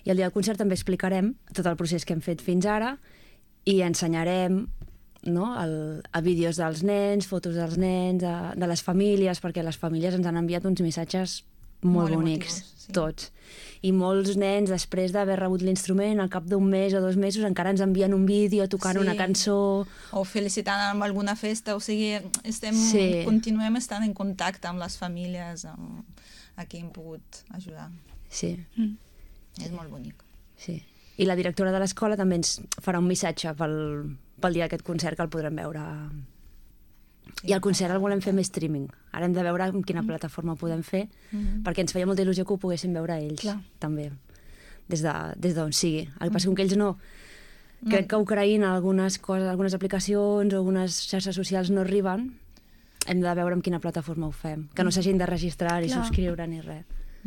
I el dia del concert també explicarem tot el procés que hem fet fins ara i ensenyarem, no, a vídeos dels nens, fotos dels nens, de les famílies, perquè les famílies ens han enviat uns missatges molt bonics, emotius, sí. tots. I molts nens, després d'haver rebut l'instrument, al cap d'un mes o 2 mesos, encara ens envien un vídeo tocant una cançó. O felicitant amb alguna festa, o sigui, continuem estant en contacte amb les famílies a qui hem pogut ajudar. Sí. És molt bonic. Sí. I la directora de l'escola també ens farà un missatge pel dia d'aquest concert, que el podrem veure. I el concert el volem fer més streaming. Ara hem de veure en quina plataforma ho podem fer, perquè ens feia molta il·lusió que ho poguessin veure ells, també, des d'on sigui. El que passa és que ells no... Crec que a Ucraïna algunes coses, algunes aplicacions o algunes xarxes socials no arriben. Hem de veure en quina plataforma ho fem. Que no s'hagin de registrar ni subscriure ni res.